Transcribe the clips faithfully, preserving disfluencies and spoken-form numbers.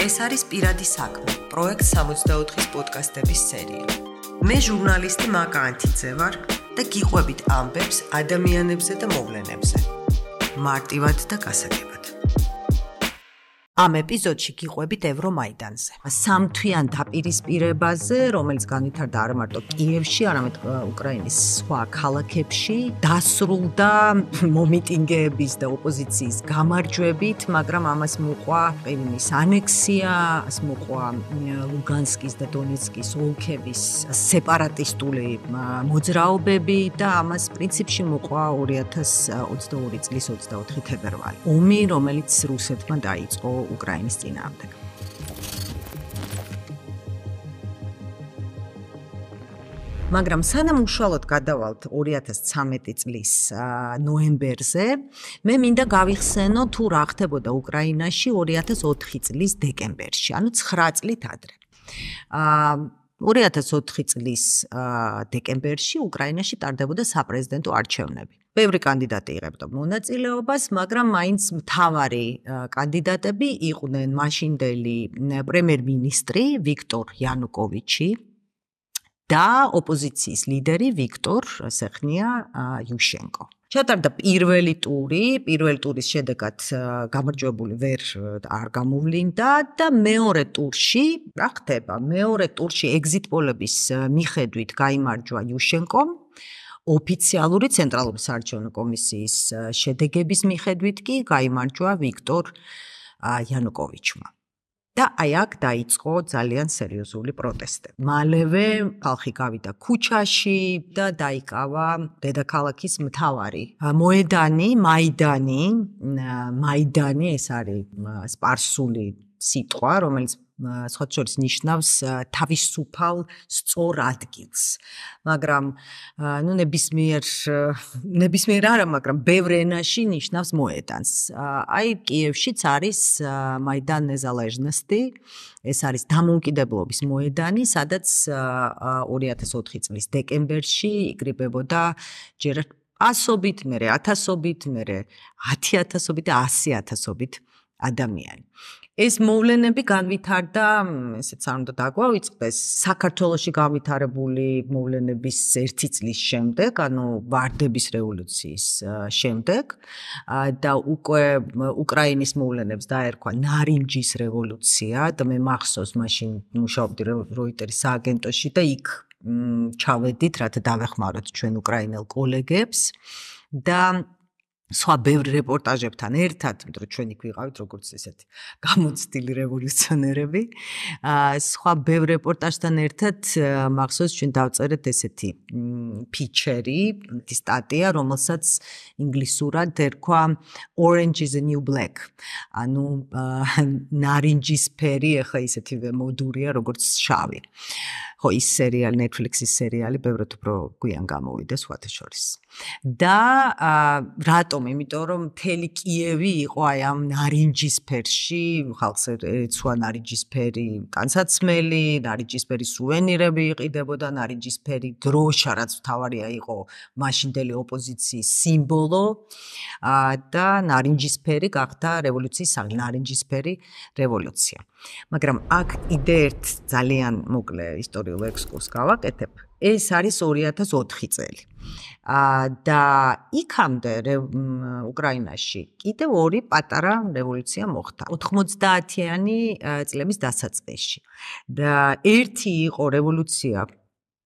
ეს არის პირადი საქმე, პროექტ სამოცდაოთხის პოდკასტების სერია. მე ჟურნალისტი მაკა ანთიძე ვარ და გიყვებით ამბებს ადამიანებზე და მოვლენებზე. მარტივად და გასაგებად. ამ ეპიზოდში გიყვებით ევრომაიდანზე. სამთვიან დაპირისპირებაზე, რომელიც განვითარდა არა მარტო კიევში, არამედ უკრაინის სხვა ქალაქებში, დასრულდა მომიტინგეების და ოპოზიციის გამარჯვებით, მაგრამ ამას მოყვა ყირიმის ანექსია, ამას მოყვა ლუგანსკის და დონეცკის ოლქების სეპარატისტული მოძრაობები და ამას პრინციპში მოყვა ორი ათას ოცდაორი წლის ოცდაოთხი თებერვალი. ომი, რომელიც რუსეთმა დაიწყო უკრაინის წინააღმდეგ. მაგრამ სანამ უშუალოდ გადავალთ ორი ათას ცხრამეტი წლის ნოემბერზე, მე მინდა გავიხსენო თუ რა ხდებოდა უკრაინაში ორი ათას ოთხი წლის დეკემბერში, ანუ ცხრა წლით ადრე. ორი ათას ოთხი წლის დეკემბერში უკრაინაში ტარდებოდა საპრეზიდენტო არჩევნები. ბევრი კანდიდატი იღებდა მონაწილეობას, მაგრამ მაინც მთავარი კანდიდატები იყვნენ მაშინდელი პრემიერ-მინისტრი ვიქტორ იანუკოვიჩი და ოპოზიციის ლიდერი ვიქტორ ასე ხნია იუშენკო. ჩატარდა პირველი ტური, პირველი ტურის შედეგად გამარჯვებული ვერ არ გამოვლინდა და მეორე ტურში, რა ხდება? მეორე ტურში ეგზიტ პოლების მიხედვით გაიმარჯვა იუშენკომ. ოფიციალური ცენტრალური საარჩევნო კომისიის შედეგების მიხედვით კი გაიმარჯვა ვიქტორ იანუკოვიჩმა. და აი აქ დაიწყო ძალიან სერიოზული პროტესტები. მალევე ხალხი გავიდა ქუჩაში და დაიკავა დედაქალაქის მთავარი მოედანი, მაიდანი, მაიდანი ეს არის სპარსული სიტყვა, რომელიც სხვა შორის ნიშნავს თავისუფალ სწორ ადგილს. მაგრამ ნუ ნებისმიერ ნებისმიერ არა, მაგრამ ბევრ ენაში ნიშნავს მოედანს. აი კიევშიც არის მაიდან ნეზალეჟნოსტი, ეს არის დამოუკიდებლობის მოედანი, სადაც ორი ათას ოთხი წლის დეკემბერში იკრიბებოდა ჯერ ასობით, მერე ათასობით, მერე ათი ათასობით და ასი ათასობით ადამიანი. ეს მოვლენები განვითარდა, ესეც არ უნდა დაგვავიწყდეს, საქართველოში განვითარებული მოვლენების ერთი წლის შემდეგ, ანუ ვარდების რევოლუციის შემდეგ და უკვე უკრაინის მოვლენებს დაერქვა ნარინჯის რევოლუცია და მე მახსოვს მაშინ მუშაობდი როიტერის სააგენტოში და იქ ჩავედით, რათა დავეხმაროთ ჩვენ უკრაინელ კოლეგებს და სხვა ბევრი რეპორტაჟებთან ერთად, მეტყვი ჩვენ იქ ვიყავით როგორც ესეთი გამოცდილი რევოლუციონერები, სხვა ბევრ რეპორტაჟთან ერთად მახსოვს ჩვენ დავწერეთ ესეთი ფიჩერი, სტატია, რომელსაც ინგლისურად ერქვა Orange is the new black. ანუ ნარინჯისფერი, ახლა ისეთივე მოდურია როგორც შავი. ხო, ის სერიალი, Netflix-ის სერიალი ბევრად უფრო გვიან გამოვიდა სხვათა შორის. და რატომ? იმიტომ რომ მთელი კიევი იყო აი ამ ნარინჯისფერში, ხალხს ეცვა ნარინჯისფერი განსაცმელი, ნარინჯისფერი სუვენირები იყიდებოდა, ნარინჯისფერი დროშა, რაც მთავარია იყო მაშინდელი ოპოზიციის სიმბოლო და ნარინჯისფერი გახდა რევოლუციის საღი, ნარინჯისფერი რევოლუცია. მაგრამ აქ კიდე ერთ ძალიან მოკლე ისტორიულ ექსკურსს გავაკეთებ. ეს არის ორი ათას ოთხი წელი. და იქამდე უკრაინაში კიდევ ორი პატარა რევოლუცია მოხდა. ოთხმოცდაათიანი წლების დასაწყისში. და ერთი იყო რევოლუცია,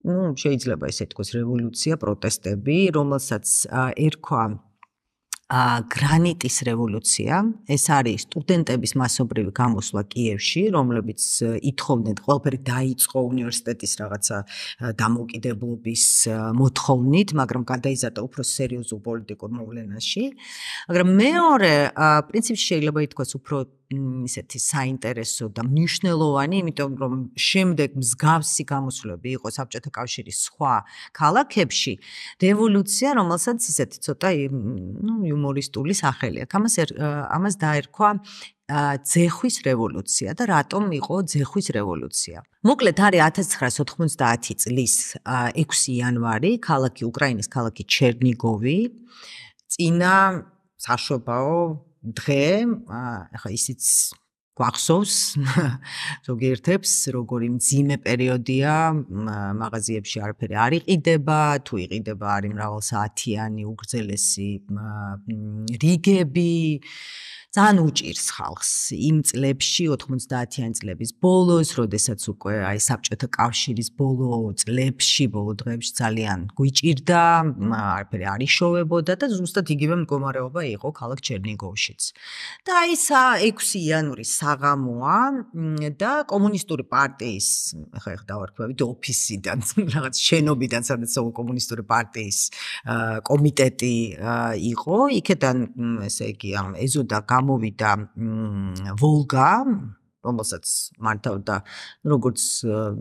ну, შეიძლება ესე თქვას რევოლუცია, პროტესტები, რომელსაც ერქვა გრანიტის რევოლუცია. ეს არის სტუდენტების მასობრივი გამოსვლა კიევში, რომლებიც ითხოვდნენ, ყველაფერი დაიწყო უნივერსიტეტის რაღაცა დამოუკიდებლობის მოთხოვნით, მაგრამ გადაიზარდა უფრო სერიოზულ პოლიტიკურ მოვლენაში. მაგრამ მეორე პრინციპში შეიძლება ითქვას უფრო ისეთი საინტერესო და მნიშვნელოვანი, იმიტომ რომ შემდეგ მსგავსი გამოსვლები იყო საბჭოთა კავშირის სხვა ქალაქებში, რევოლუცია, რომელსაც ისეთი ცოტა ნუ იუმორისტული სახელი აქვს. ამას ამას დაერქვა ძეხვის რევოლუცია და რატომ იყო ძეხვის რევოლუცია? მოკლედ არის ათას ცხრაასი ოთხმოცდაათი წლის ექვსი იანვარი, ქალაქი უკრაინის ქალაქი ჩერნიგოვი, წინა საშობაო დღე, ახლა ისიც გვახსოვს ზოგიერთებს როგორი მძიმე პერიოდია მაღაზიებში არაფერი არ იყიდება თუ იყიდება არის მრავალსაათიანი უგრძელესი რიგები ძალიან უჭირს ხალხს იმ წლებში ოთხმოცდაათიანი წლების ბოლოს როდესაც უკვე აი საბჭოთა კავშირის ბოლო წლებში ბოლო დღეებში ძალიან გვიჭირდა არაფერი არ იშოვებოდა და ზუსტად იგივე მდგომარეობა იყო ქალაქ ჩერნიგოვშიც და აი ექვსი იანვრის საღამოა და კომუნისტური პარტიის ხა ხა დავარქვევით ოფისიდან რაღაც შენობიდან სადაც კომუნისტური პარტიის კომიტეტი იყო იქიდან ესე იგი ამ ეზოდა გამოვიდა ვოლგა რომელსაც მართავდა როგორც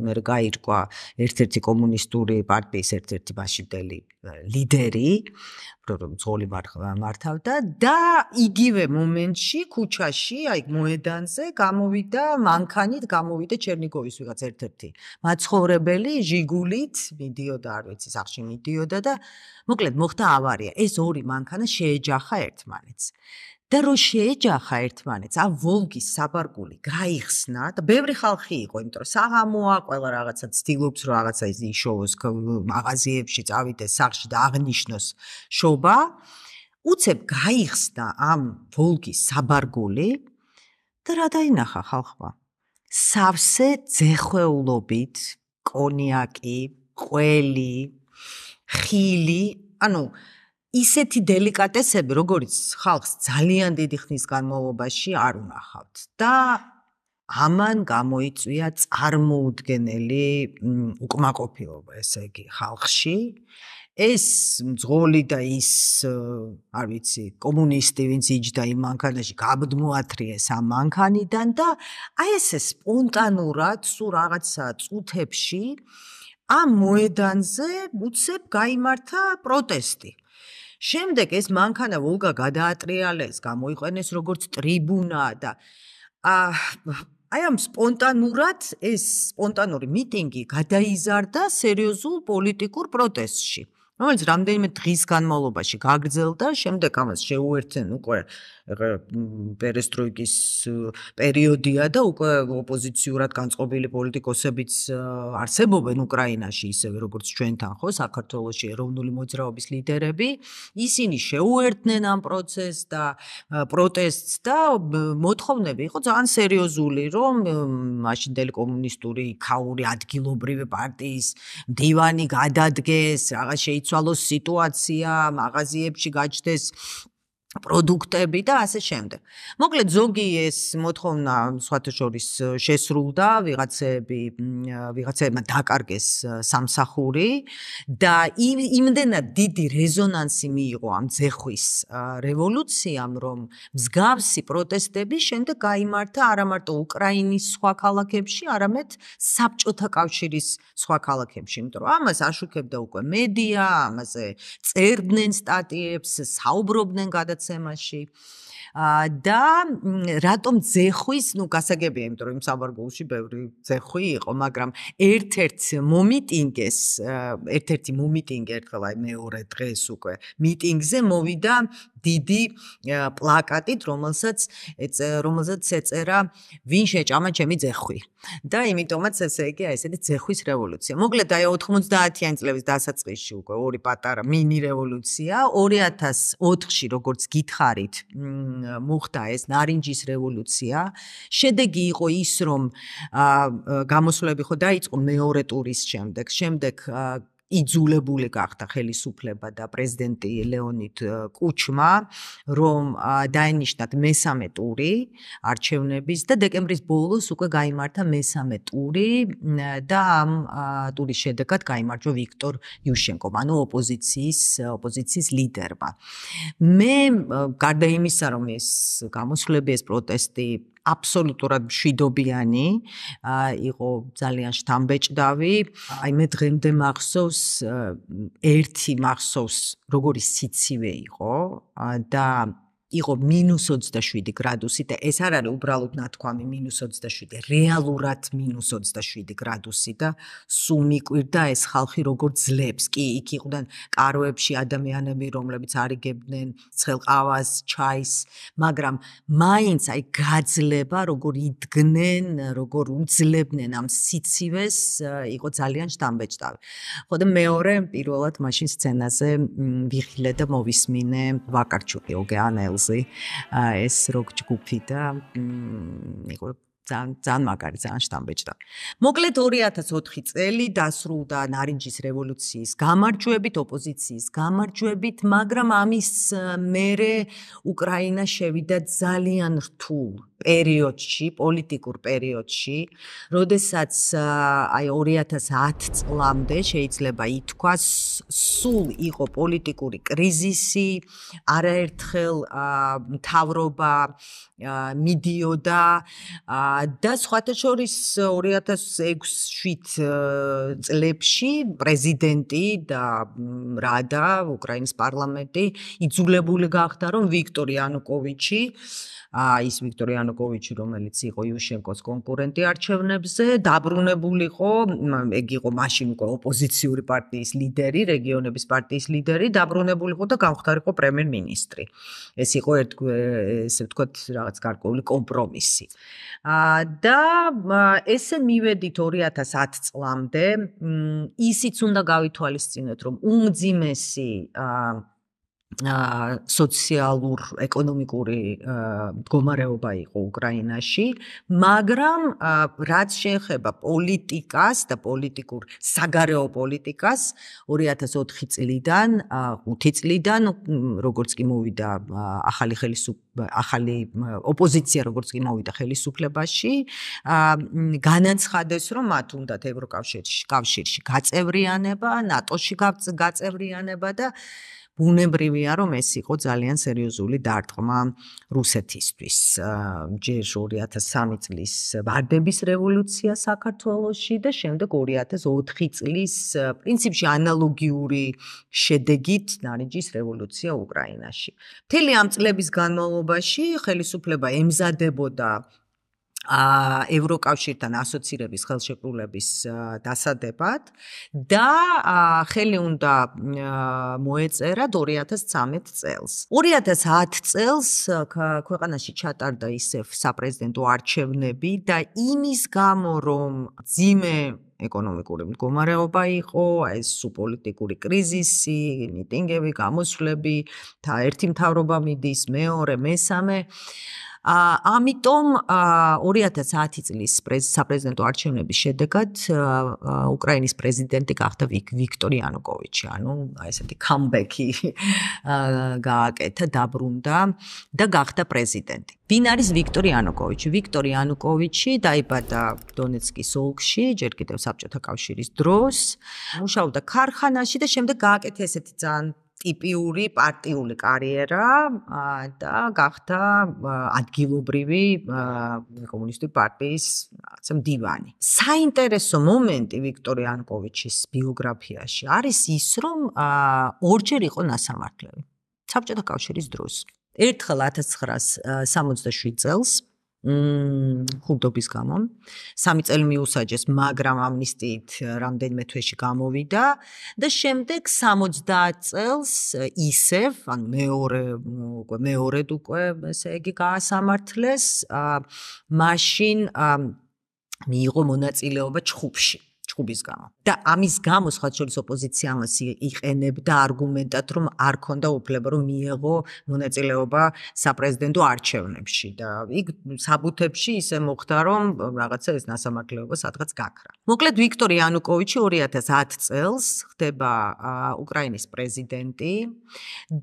მე გაირკვა ერთ-ერთი კომუნისტური პარტიის ერთ-ერთი მაშინდელი ლიდერი ძღოლი მართავდა და იგივე მომენტში ქუჩაში აი მოედანზე გამოვიდა მანქანით გამოვიდა ჩერნიგოვის ვიღაც ერთ-ერთი მაცხოვრებელი ჟიგულით მიდიოდა არ ვიცი სახში მიდიოდა და მოკლედ მოხდა ავარია ეს ორი მანქანა შეეჯახა ერთმანეთს და რო შეეჯახა ერთმანეთს ა ვოლგის საბარგული გაიხსნა და ბევრი ხალხი იყო იმიტომ რომ საღამოა ყველა რაღაცა ცდილობს რომ რაღაცა ის იშოვოს მაღაზიებში წავიდეს სახში და აღნიშნოს შობა უცებ გაიხსნა ამ ვოლგის საბარგული და რა დაინახა ხალხმა სავსე ძეხვეულობით კონიაკი ყველი ხილი ანუ ისეთი დელიკატესები, როგორც ხალხს ძალიან დიდი ხნის განმავლობაში არ უნახავთ და ამან გამოიწვია წარმოუდგენელი უკმაყოფილება, ესე იგი, ხალხში. ეს მძღოლი და ის, არ ვიცი, კომუნისტი, ვინც იჯდა იმ მანქანაში, გაბდმოათრიეს ამ მანქანიდან და აი ესე სპონტანურად, სულ რაღაცა წუთებში ამ მოედანზე უცებ გაიმართა პროტესტი. შემდეგ ეს მანქანა ვოლგა გადაატრიალეს, გამოიყენეს როგორც ტრიბუნა და აი ამ სპონტანურად ეს სპონტანური მიტინგი გადაიზარდა სერიოზულ პოლიტიკურ პროტესტში. რომელიც რამდენიმე დღის განმავლობაში გაგრძელდა, შემდეგ ამას შეუერთდნენ უკვე პერესტროიკის პერიოდია და უკვე ოპოზიციურად განწყობილი პოლიტიკოსებიც არსებობენ უკრაინაში, ისევე როგორც ჩვენთან, ხო, საქართველოში ეროვნული მოძრაობის ლიდერები, ისინი შეუერთდნენ ამ პროცესს და პროტესტს და მოთხოვნები იყო ძალიან სერიოზული, რომ მაშინდელი კომუნისტური ქაური ადგილობრივი პარტიის მდივანი გადადგეს, რაღაც შეიცვალოს სიტუაცია, მაღაზიებში გაჩნდეს პროდუქტები და ასე შემდეგ. მოკლედ ზოგი ეს მოთხოვნა სხვათა შორის შესრულდა, ვიღაცები ვიღაცებმა დაკარგეს სამსახური და იმდენად დიდი რეზონანსი მიიღო ამ ძეხვის რევოლუციამ, რომ მსგავსი პროტესტები შემდეგ გაიმართა არა მარტო უკრაინის სხვა ქალაქებში, არამედ საბჭოთა კავშირის სხვა ქალაქებში, იმიტომ რომ ამას აშუქებდა უკვე მედია, ამაზე წერდნენ სტატიებს, საუბრობდნენ გადაც ემაში და რატომ ძეხვის, ну, გასაგებია, იმიტომ რომ იმ საბარგულში ბევრი ძეხვი იყო, მაგრამ ერთ-ერთ მომიტინგეს, ერთ-ერთი მომიტინგი ერთხელ აი მეორე დღეს უკვე მიტინგზე მოვიდა დიდი პლაკატით, რომელსაც რომელსაც ეწერა ვინ შეჭამა ჩემი ძეხვი. და იმიტომაც ესე იგი აი ესეთი ძეხვის რევოლუცია. მოკლედ აი ოთხმოცდაათიანი წლების დასაწყისში უკვე ორი პატარა მინი რევოლუცია, ორი ათას ოთხში როგორც გითხარით, მოხდა ეს ნარინჯის რევოლუცია. შედეგი იყო ის, რომ გამოსვლები ხო დაიწყო მეორე ტურის შემდეგ. შემდეგ იძულებული გახდა ხელისუფლება და პრეზიდენტი ლეონიდ კუჩმა, რომ დაენიშნათ მესამე ტური არჩევნების და დეკემბრის ბოლოს უკვე გაიმართა მესამე ტური და ამ ტურის შედეგად გაიმარჯვა ვიქტორ იუშენკომ, ანუ ოპოზიციის ოპოზიციის ლიდერმა. მე გარდა იმისა, რომ ეს გამოსვლები, ეს პროტესტი აბსოლუტურად მშვიდობიანი იყო ძალიან შთამბეჭდავი. აი მე დღემდე მახსოვს ერთი მახსოვს როგორი სიცივე იყო და იყო მინუს ოცდაშვიდი გრადუსი და ეს არ არის უბრალოდ ნათქვამი მინუს ოცდაშვიდი, რეალურად მინუს ოცდაშვიდი გრადუსი და სულ მიკვირდა ეს ხალხი როგორ ძლებს. კი, იქ იყვნენ კაროებში ადამიანები, რომლებიც არიგებდნენ ცხელყავას, ჩაის, მაგრამ მაინც აი გაძლება, როგორ იდგნენ, როგორ უძლებდნენ ამ სიცივეს, იყო ძალიან შთამბეჭდავი. ხო და მეორე პირველად მაშინ სცენაზე ვიხილე და მოვისმინე ვაკარჩუკი ოგეანელზი ეს როკ ჯგუფი და იყო ძალიან ძალიან მაგარი, ძალიან შთამბეჭდავი. მოკლედ ორი ათას ოთხი წელი დასრულდა ნარინჯის რევოლუციის გამარჯვებით, ოპოზიციის გამარჯვებით, მაგრამ ამის მერე უკრაინა შევიდა ძალიან რთულ პერიოდში, პოლიტიკურ პერიოდში, როდესაც აი ორი ათას ათი წლამდე შეიძლება ითქვას, სულ იყო პოლიტიკური კრიზისი, არაერთხელ მთავრობა მიდიოდა და სხვათა შორის ორი ათას ექვსი შვიდ წლებში პრეზიდენტი და რადა უკრაინის პარლამენტი იძულებული გახდა, რომ ვიქტორ იანუკოვიჩი ის ვიქტორ იანუკოვიჩი, რომელიც იყო იუშენკოს კონკურენტი არჩევნებზე, დაბრუნებულიყო, ეგ იყო მაშინ უკვე ოპოზიციური პარტიის ლიდერი, რეგიონების პარტიის ლიდერი, დაბრუნებულიყო და გამხდარიყო პრემიერ-მინისტრი. ეს იყო ესე ვთქვათ, რაღაც გარკვეული კომპრომისი. და ესე მივედით ორი ათას ათი წლამდე, ისიც უნდა გავითვალისწინოთ, რომ უმძიმესი სოციალურ ეკონომიკური მდგომარეობა იყო უკრაინაში, მაგრამ რაც შეეხება პოლიტიკას და პოლიტიკურ საგარეო პოლიტიკას ორი ათას ოთხი წლიდან, ხუთი წლიდან, როგორც კი მოვიდა ახალი ხელისუფლება, ახალი ოპოზიცია, როგორც კი მოვიდა ხელისუფლებაში, განაცხადეს, რომ მათ უნდათ ევროკავშირში, კავშირში გაწევრიანება, ნატოში გაწევრიანება და ბუნებრივია, რომ ეს იყო ძალიან სერიოზული დარტყმა რუსეთისთვის. ჯერ ორი ათას სამი წლის ვარდების რევოლუცია საქართველოში და შემდეგ ორი ათას ოთხი წლის პრინციპში ანალოგიური შედეგით ნარინჯის რევოლუცია უკრაინაში. მთელი ამ წლების განმავლობაში ხელისუფლება ემზადებოდა ევროკავშირთან ასოცირების ხელშეკრულების დასადებად და ხელი უნდა მოეწერა ორი ათას ცხრამეტ წელს. ორი ათას ათი წელს ქვეყანაში ჩატარდა ისევ საპრეზიდენტო არჩევნები და იმის გამო, რომ ძიმე ეკონომიკური მდგომარეობა იყო, ეს პოლიტიკური კრიზისი, მიტინგები, გამოსვლები, ერთი მთავრობა მიდის, მეორე, მესამე ამიტომ ორი ათას ათი წლის საპრეზიდენტო არჩევნების შედეგად უკრაინის პრეზიდენტი გახდა ვიქტორ იანუკოვიჩი, ანუ ესეთი კამბექი გააკეთა, დაბრუნდა და გახდა პრეზიდენტი. ვინ არის ვიქტორ იანუკოვიჩი? ვიქტორ იანუკოვიჩი დაიბადა დონეცკის ოლქში, ჯერ კიდევ საბჭოთა კავშირის დროს, მუშაობდა ქარხანაში და შემდეგ გააკეთა ესეთი ძალიან ტიპიური პარტიული კარიერა და გახდა ადგილობრივი კომუნისტური პარტიის მდივანი. საინტერესო მომენტი ვიქტორ იანუკოვიჩის ბიოგრაფიაში არის ის, რომ ორჯერ იყო ნასამართლელი საბჭოთა კავშირის დროს. ერთხელ ათას ცხრაასი სამოცდაშვიდ წელს ხუნტობის გამო სამი წელი მიუსაჯეს, მაგრამ ამნისტიით რამდენიმე თვეში გამოვიდა და შემდეგ სამოცდაათ წელს ისევ, ანუ მეორე უკვე მეორედ უკვე ესე იგი გაასამართლეს, მაშინ მიიღო მონაწილეობა ჩხუბში. ჩხუბის გამო. და ამის გამო სხვა შორის ოპოზიცია ამას იყენებდა არგუმენტად, რომ არ ქონდა უფლება, რომ მიეღო მონაწილეობა საპრეზიდენტო არჩევნებში და იქ საბუთებში ისე მოხდა, რომ რაღაცა ეს ნასამართლეობა სადღაც გაქრა. მოკლედ ვიქტორ იანუკოვიჩი ორი ათას ათი წელს ხდება უკრაინის პრეზიდენტი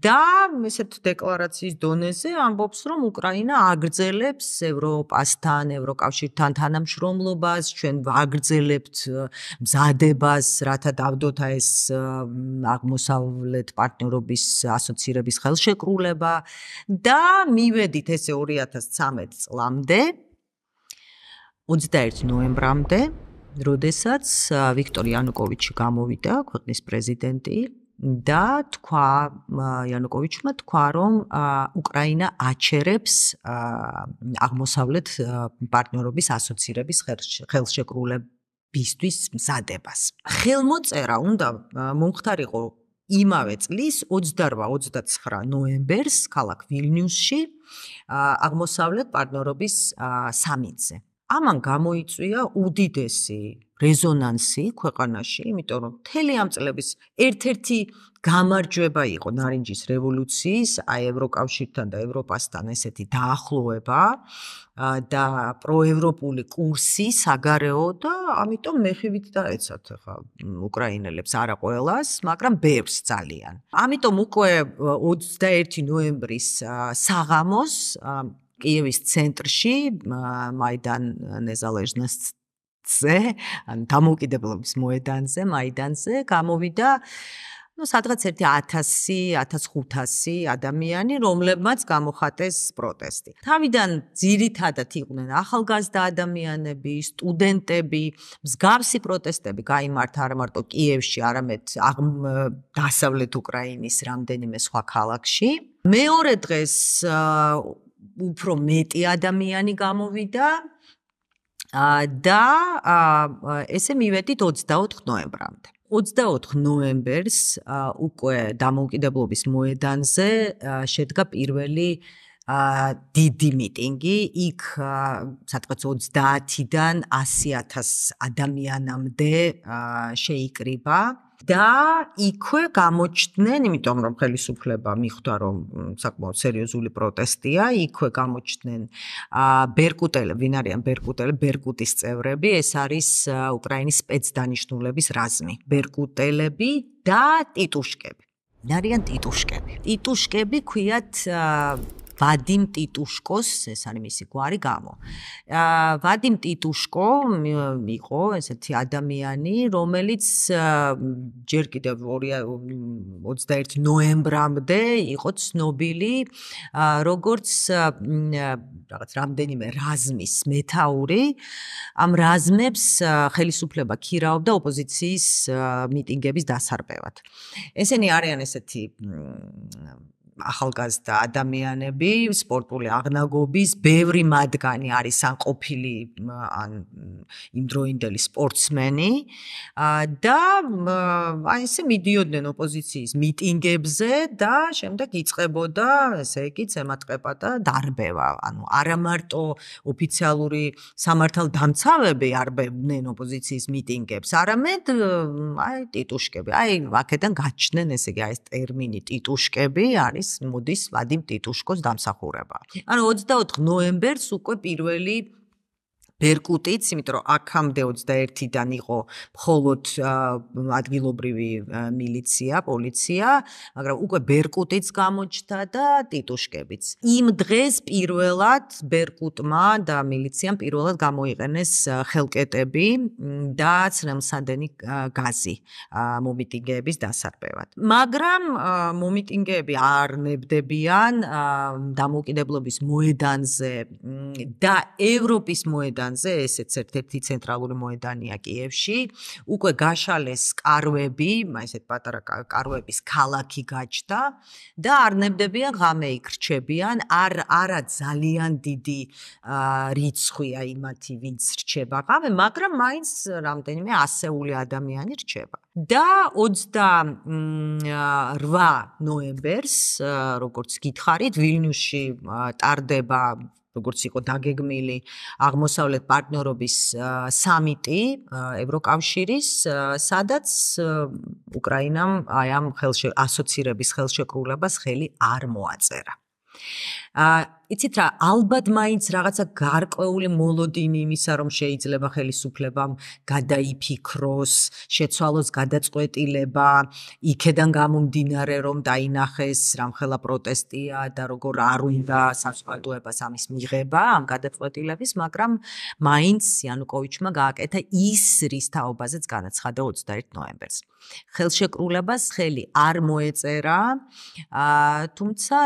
და ესეთ დეკლარაციის დონეზე ამბობს, რომ უკრაინა აგრძელებს ევროპასთან, ევროკავშირთან თანამშრომლობას, ჩვენ ვაგრძელებთ მზადებას, რათა დავდოთ ეს აღმოსავლეთ პარტნიორობის ასოცირების ხელშეკრულება და მივედით ესე ორი ათას ცხრამეტ წლამდე, ოცდაერთი ნოემბრამდე, როდესაც ვიქტორ იანუკოვიჩი გამოვიდა, ქვეყნის პრეზიდენტი, და თქვა იანუკოვიჩმა თქვა რომ უკრაინა აჩერებს აღმოსავლეთ პარტნიორობის ასოცირების ხელშეკრულებისთვის მზადებას. ხელმოწერა უნდა მომხდარიყო იმავე წლის ოცდაოთხ ოცდაცხრა ნოემბერს ქალაქ ვილნიუსში აღმოსავლეთ პარტნიორობის სამიტზე. ამან გამოიწვია უდიდესი რეზონანსი ქვეყანაში, იმიტომ რომ მთელი ამ წლების ერთ-ერთი გამარჯვება იყო ნარინჯის რევოლუციის, აი ევროკავშირთან და ევროპასთან ესეთი დაახლოება და პროევროპული კურსი საგარეო და ამიტომ მეხივით დაეცათ ხა უკრაინელებს არა ყველას, მაგრამ ბევრს ძალიან. ამიტომ უკვე ოცდაერთი ნოემბრის საღამოს კიევის ცენტრში მაიდან ნეზალეჟნოსცზე, ან დამოუკიდებლობის მოედანზე, მაიდანზე გამოვიდა ну სადღაც ერთი ათასი ათას ხუთასი ადამიანი, რომლებმაც გამოხატეს პროტესტი. თავიდან ძირითადად იყვნენ ახალგაზრდა ადამიანები, სტუდენტები, მსგავსი პროტესტები გაიმართა არა მარტო კიევში, არამედ დასავლეთ უკრაინის რამდენიმე სხვა ქალაქში. მეორე დღეს უფრო მეტი ადამიანი გამოვიდა და ესე მივედით ოცდაოთხ ნოემბრამდე. ოცდაოთხ ნოემბერს უკვე დამოუკიდებლობის მოედანზე შედგა პირველი დიდი მიტინგი, იქ სადღაც ოცდაათიდან ასი ათას ადამიანამდე შეიკრიბა და იქვე გამოჩნდნენ, იმიტომ რომ ხელისუფლება მიხვდა რომ საკმაოდ სერიოზული პროტესტია, იქვე გამოჩნდნენ ბერკუტელები, ვინ არიან ბერკუტელები, ბერკუტის წევრები, ეს არის უკრაინის სპეცდანიშნულების რაზმი. ბერკუტელები და ტიტუშკები. არიან ტიტუშკები. ტიტუშკები ქვიათ ვადიმ ტიტუშკოს, ეს არის მისი გვარი გამო. ვადიმ ტიტუშკო იყო ესეთი ადამიანი, რომელიც ჯერ კიდევ ოცდაერთი ნოემბრამდე იყო ცნობილი როგორც რაღაც რამდენიმე რაზმის მეთაური. ამ რაზმებს ხელისუფლება ქირავდა ოპოზიციის მიტინგების დასარბევად. ესენი არიან ესეთი ახალგაზრდა ადამიანები, სპორტული აღნაგობის, ბევრი მათგანი არის ან ყოფილი ან იმდროინდელი სპორტსმენი და აი ესე მიდიოდნენ ოპოზიციის მიტინგებზე და შემდეგ იწყებოდა ესე იგი ზემატყება და დარბევა. ანუ არა მარტო ოფიციალური სამართალდამცავები არბევდნენ ოპოზიციის მიტინგებს, არამედ აი ტიტუშკები. აი აქედან გაჩნდნენ ესე იგი აი ეს ტერმინი ტიტუშკები არის მოდის ვადიმ ტიტუშკოს დამსახურება. ანუ ოცდაოთხ ნოემბერს უკვე პირველი ბერკუტიც, იმიტომ რომ აქამდე ოცდაერთიდან იყო მხოლოდ ადგილობრივი მილიცია, პოლიცია, მაგრამ უკვე ბერკუტიც გამოჩნდა და ტიტუშკებიც. იმ დღეს პირველად ბერკუტმა და მილიციამ პირველად გამოიყენეს ხელკეტები და ცრემლსადენი გაზი მომიტინგეების დასარბევად. მაგრამ მომიტინგეები არ ნებდებიან დამოუკიდებლობის მოედანზე და ევროპის მოედანზე, ესეც ერთ-ერთი ცენტრალური მოედანია კიევში, უკვე გაშალეს კარვები, ესეთ პატარა კარვების ქალაქი გაჩნდა და არ ნებდებიან ღამე იქ რჩებიან, არ არა ძალიან დიდი რიცხვია იმათი, ვინც რჩება ღამე, მაგრამ მაინც რამდენიმე ასეული ადამიანი რჩება. და ოცდარვა ნოემბერს, როგორც გითხარით, ვილნიუსში ტარდება როგორც იყო დაგეგმილი აღმოსავლეთ პარტნიორობის სამიტი ევროკავშირის, სადაც უკრაინამ აი ამ ასოცირების ხელშეკრულებას ხელი არ მოაწერა. იცით რა, ალბათ მაინც რაღაცა გარკვეული მოლოდინი იმისა, რომ შეიძლება ხელისუფლებამ გადაიფიქროს, შეცვალოს გადაწყვეტილება, იქედან გამომდინარე, რომ დაინახეს რამხელა პროტესტია და როგორ არ უნდა საზოგადოებას ამის მიღება ამ გადაწყვეტილების, მაგრამ მაინც იანუკოვიჩმა გააკეთა ის, რის თაობაზეც განაცხადა ოცდაერთი ნოემბერს. ხელშეკრულებას ხელი არ მოეწერა, თუმცა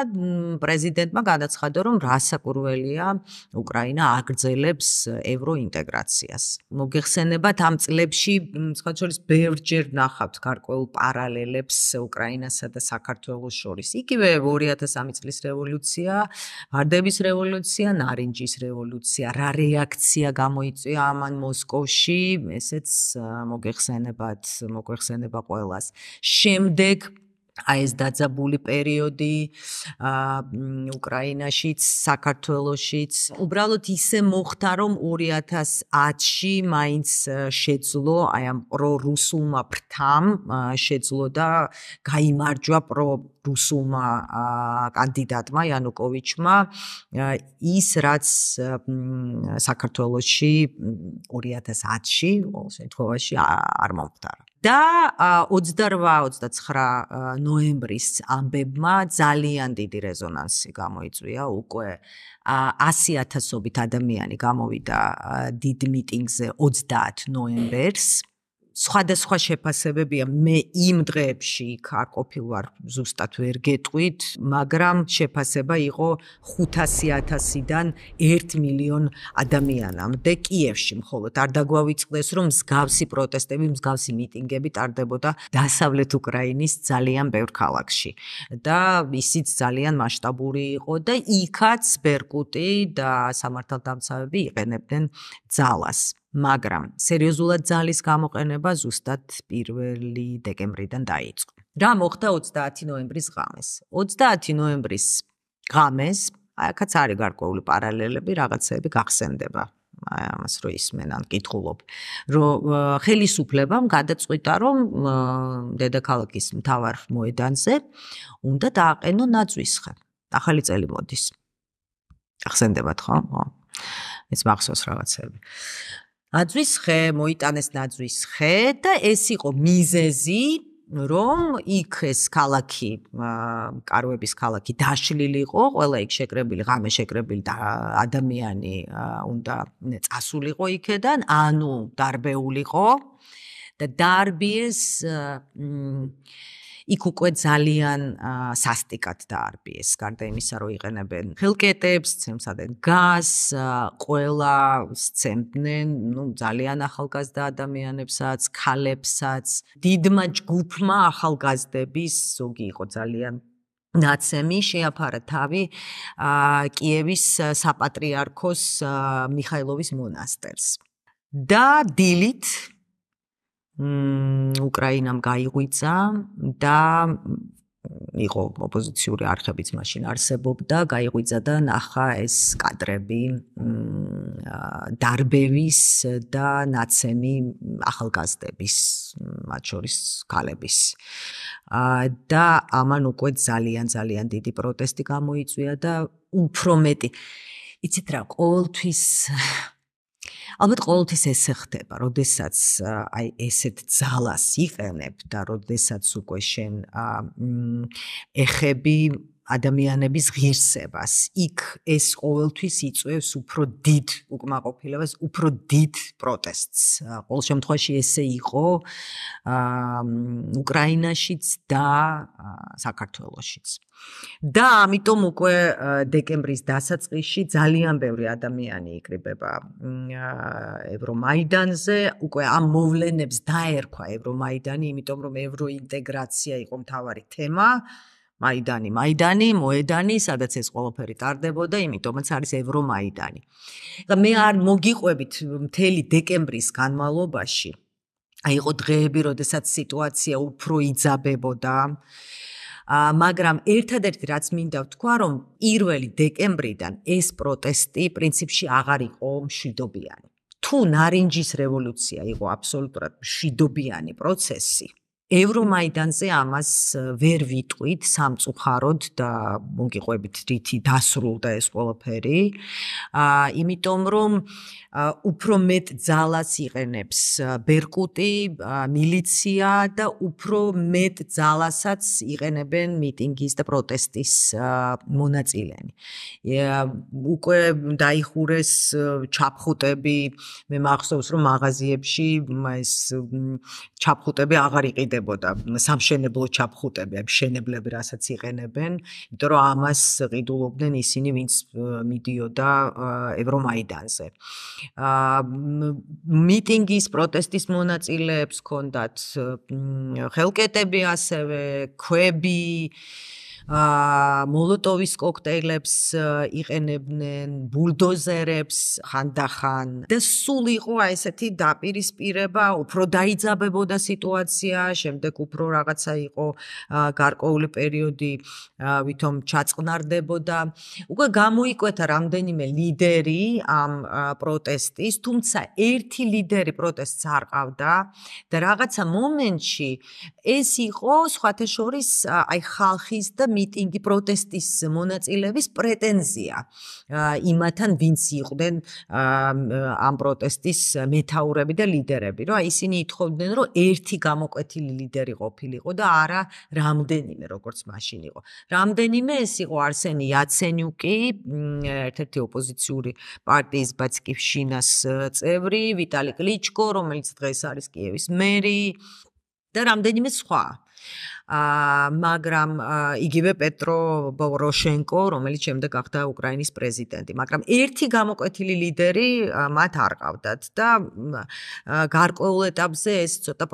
პრეზიდენტმა განაცხადა, რომ რომ რასაკურველია უკრაინა აგრძელებს ევროინტეგრაციას. მოგეხსენებათ ამ წლებში სხვა შორის ბევრჯერ ნახავთ გარკვეულ პარალელებს უკრაინასა და საქართველოს შორის. იგივე ორი ათას სამი წლის რევოლუცია, ვარდების რევოლუცია, ნარინჯის რევოლუცია, რა რეაქცია გამოიწვია ამან მოსკოვში, ესეც მოგეხსენებათ, მოგეხსენება ყველას. შემდეგ აი ეს დაძაბული პერიოდი უკრაინაშიც, საქართველოშიც, უბრალოდ ისე მოხდა, რომ ორი ათას ათში მაინც შეძლო აი ამ პრორუსულმა ფრთამ შეძლო და გაიმარჯვა პრორუსულმა კანდიდატმა იანუკოვიჩმა ის რაც საქართველოში ორი ათას ათში ყოველ შემთხვევაში არ მომხდარა. და ოცდარვა ოცდაცხრა ნოემბრის ამბებმა ძალიან დიდი რეზონანსი გამოიწვია, უკვე ასი ათასობით ადამიანი გამოვიდა დიდ მიტინგზე ოცდაათ ნოემბერს. სხვადასხვა შეფასებებია, მე იმ დღეებში იქ არ ყოფილვარ, ზუსტად ვერ გეტყვით, მაგრამ შეფასება იყო ხუთასი ათასიდან ერთ მილიონ ადამიანამდე კიევში მხოლოდ. არ დაგვავიწყდეს, რომ მსგავსი პროტესტები, მსგავსი მიტინგები ტარდებოდა დასავლეთ უკრაინის ძალიან ბევრ ქალაქში. და ისიც ძალიან მასშტაბური იყო და იქაც ბერკუტი და სამართალდამცავები იყენებდნენ ძალას. მაგრამ სერიოზულად ძალის გამოყენება ზუსტად პირველი დეკემბრიდან დაიწყო. რა მოხდა ოცდაათი ნოემბრის ღამეს? ოცდაათი ნოემბრის ღამეს, აქაც არის გარკვეული პარალელები, რაღაცები გახსენდება. აი ამას რო ისმენ ან კითხულობ, რომ ხელისუფლებამ გადაწყვიტა, რომ დედაქალაქის მთავარ მოედანზე უნდა დააყენო ნაძვისხე. ახალი წელი მოდის. გახსენდებათ ხო? ეს მახსოვს რაღაცები. ნაძვისხე, მოიტანეს ნაძვისხე და ეს იყო მიზეზი, რომ იქ ეს ქალაქი, კარვების ქალაქი დაშლილი იყო, ყველა იქ შეკრებილი, ღამე შეკრებილი და ადამიანი უნდა წასულიყო იქედან, ანუ დარბეულიყო და დარბიეს იქ უკვე ძალიან სასტიკად დაარბიეს, გარდა იმისა, რომ იყენებენ ხელკეტებს, ცემსადენ გაზს, ყველა სცემდნენ, ну, ძალიან ახალგაზრდა ადამიანებსაც, ქალებსაც, დიდმა ჯგუფმა ახალგაზრდების, ზოგი იყო ძალიან ნაცემი, შეაფარა თავი კიევის საპატრიარქოს მიხაილოვის მონასტერს. და დილით უკრაინამ გაიღვიძა და იყო ოპოზიციური არხებიც მაშინ არსებობდა, გაიღვიძა და ნახა ეს კადრები დარბევის და ნაცემი ახალგაზრდების, მათ შორის ქალების. და ამან უკვე ძალიან ძალიან დიდი პროტესტი გამოიწვია და უფრო მეტი. იცით რა, ყოველთვის ალბათ ყოველთვის ესე ხდება, როდესაც აი ესეთ ძალას იყენებ და როდესაც უკვე შენ ეხები ადამიანების ღირსებას. იქ ეს ყოველთვის იწვევს უფრო დიდ უკმაყოფილებას, უფრო დიდ პროტესტს. ყოველ შემთხვევაში ესე იყო უკრაინაშიც და საქართველოშიც. და ამიტომ უკვე დეკემბრის დასაწყისში ძალიან ბევრი ადამიანი იკრიბება ევრომაიდანზე, უკვე ამ მოვლენებს დაერქვა ევრომაიდანი, იმიტომ რომ ევროინტეგრაცია იყო მთავარი თემა. მაიდანი, მაიდანი, მოედანი, სადაც ეს ყველაფერი ტარდებოდა, იმიტომაც არის ევრომაიდანი. და მე არ მოგიყვებით მთელი დეკემბრის განმავლობაში. აი იყო დღეები, როდესაც სიტუაცია უფრო იძაბებოდა. მაგრამ ერთადერთი რაც მინდა ვთქვა, რომ პირველი დეკემბრიდან ეს პროტესტი პრინციპში აღარ იყო მშვიდობიანი. თუ ნარინჯის რევოლუცია იყო აბსოლუტურად მშვიდობიანი პროცესი, ევრომაიდანზე ამას ვერ ვიტყვით სამწუხაროდ და მოგიყვებით რითი დასრულდა ეს ყველაფერი. იმიტომ რომ უფრო მეტ ძალას იყენებს ბერკუტი, მილიცია და უფრო მეტ ძალასაც იყენებენ მიტინგის და პროტესტის მონაწილენი. უკვე დაიხურეს ჩაფხუტები, მე მახსოვს რომ მაღაზიებში ეს ჩაფხუტები აღარ იყიდნენ დამოკიდებოდა სამშენებლო ჩაფხუტები, მშენებლები რასაც იყენებენ, იმიტომ რომ ამას ყიდულობდნენ ისინი, ვინც მიდიოდა ევრომაიდანზე. მიტინგის, პროტესტის მონაწილეებს ჰქონდათ ხელკეტები ასევე, ქვები, მოლოტოვის კოქტეილებს იყენებდნენ, ბულდოზერებს ხანდახან და სულ იყო აი ესეთი დაპირისპირება, უფრო დაიძაბებოდა სიტუაცია, შემდეგ უფრო რაღაცა იყო გარკვეული პერიოდი, ვითომ ჩაწყნარდებოდა. უკვე გამოიკვეთა რამდენიმე ლიდერი ამ პროტესტის, თუმცა ერთი ლიდერი პროტესტს არ ყავდა და რაღაცა მომენტში ეს იყო სხვათა შორის აი ხალხის და მიტინგი პროტესტის მონაწილეების პრეტენზია იმათან, ვინც იყვნენ ამ პროტესტის მეთაურები და ლიდერები, რომ ისინი ითხოვდნენ, რომ ერთი გამოკვეთილი ლიდერი ყოფილიყო და არა რამდენიმე, როგორც მაშინ იყო. რამდენიმე ეს იყო არსენი იაცენიუკი, ერთ-ერთი ოპოზიციური პარტიის ბატსკივშინას წევრი, ვიტალი კლიჩკო, რომელიც დღეს არის კიევის მერი და რამდენიმე სხვა. მაგრამ იგივე პეტრო პოროშენკო, რომელიც შემდეგ გახდა უკრაინის პრეზიდენტი, მაგრამ ერთი გამოკვეთილი ლიდერი მათ არ ყავდათ და გარკვეულ ეტაპზე ეს ცოტა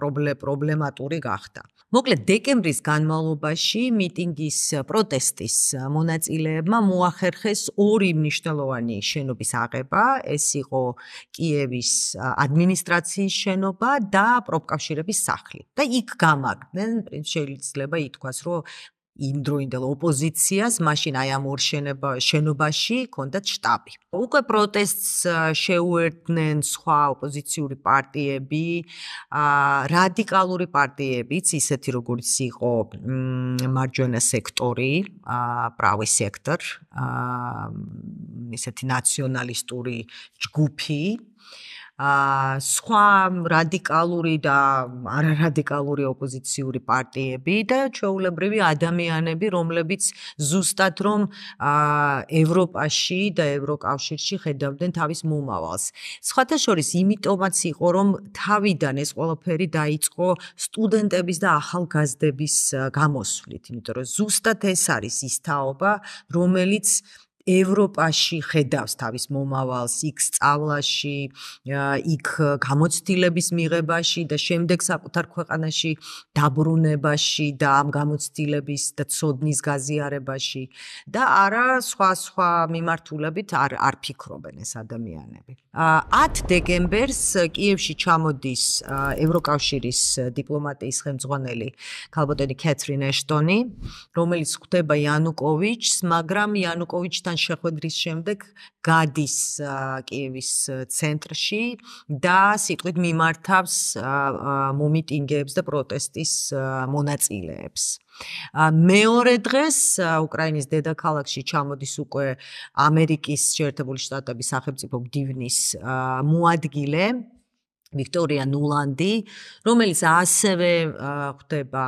პრობლემატური გახდა. მოკლედ დეკემბრის განმავლობაში მიტინგის პროტესტის მონაწილეებმა მოახერხეს ორი მნიშვნელოვანი შენობის აღება, ეს იყო კიევის ადმინისტრაციის შენობა და პროფკავშირების სახლი. და იქ გამაგდნენ, შეიძლება ითქვას, რომ იმდროინდელ ოპოზიციას მაშინ აი ამ ორ შენობაში ჰქონდათ შტაბი. უკვე პროტესტს შეუერთდნენ სხვა ოპოზიციური პარტიები, რადიკალური პარტიებიც, ისეთი როგორც იყო მარჯვენა სექტორი, правый сектор, ისეთი ნაციონალისტური ჯგუფი, სხვა რადიკალური და არარადიკალური ოპოზიციური პარტიები და ჩვეულებრივი ადამიანები, რომლებიც ზუსტად რომ ევროპაში და ევროკავშირში ხედავდნენ თავის მომავალს. სხვათა შორის იმიტომაც იყო, რომ თავიდან ეს ყველაფერი დაიწყო სტუდენტების და ახალგაზრდების გამოსვლით, იმიტომ რომ ზუსტად ეს არის ის თაობა, რომელიც ევროპაში ხედავს თავის მომავალს, იქ სწავლაში, იქ გამოცდილების მიღებაში და შემდეგ საკუთარ ქვეყანაში დაბრუნებაში და ამ გამოცდილების და ცოდნის გაზიარებაში და არა სხვა სხვა მიმართულებით არ არ ფიქრობენ ეს ადამიანები. ათ დეკემბერს კიევში ჩამოდის ევროკავშირის დიპლომატიის ხელმძღვანელი ქალბატონი კეთრინ ეშტონი, რომელიც ხვდება იანუკოვიჩს, მაგრამ იანუკოვიჩთან შეხვედრის შემდეგ გადის კიევის ცენტრში და სიტყვით მიმართავს მომიტინგეებს და პროტესტის მონაწილეებს. მეორე დღეს უკრაინის დედაქალაქში ჩამოდის უკვე ამერიკის შეერთებული შტატების სახელმწიფო მდივნის მოადგილე ვიქტორია ნულანდი, რომელიც ასევე ხვდება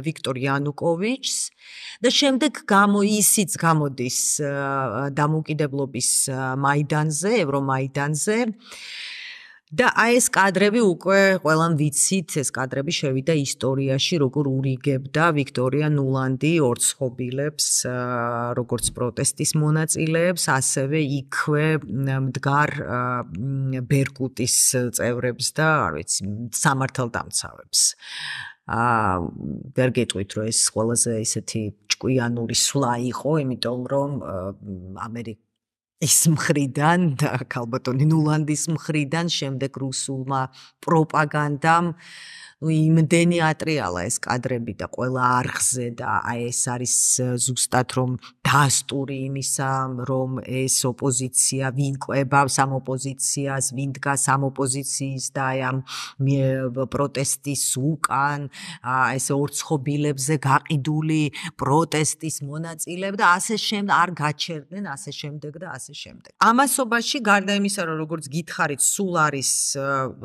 ვიქტორ იანუკოვიჩს და შემდეგ გამო ისიც გამოდის დამოუკიდებლობის მაიდანზე, ევრომაიდანზე და აი ეს კადრები უკვე ყველამ ვიცით, ეს კადრები შევიდა ისტორიაში, როგორ ურიგებდა ვიქტორია ნულანდი ორცხობილებს, როგორც პროტესტის მონაწილეებს, ასევე იქვე მდგარ ბერკუტის წევრებს და არ ვიცი, სამართალდამცავებს. აა ვერ გეტყვით, რომ ეს ყველაზე ისეთი ჭკვიანური სვლა იყო, იმიტომ რომ ამერიკა ის მხრიდან და ქალბატონი ნულანდის მხრიდან შემდეგ რუსულმა პროპაგანდამ იმდენი ატრიალა ეს კადრები და ყველა არხზე და აი ეს არის ზუსტად რომ დასტური იმისა, რომ ეს ოპოზიცია ვინ ყვებავს ამ ოპოზიციას, ვინ დგას ამ ოპოზიციის და აი ამ პროტესტის უკან, ეს ორცხობილებზე გაყიდული პროტესტის მონაწილეები და ასე შემდეგ არ გაჩერდნენ, ასე შემდეგ და ასე შემდეგ. ამასობაში გარდა იმისა, რომ როგორც გითხარით, სულ არის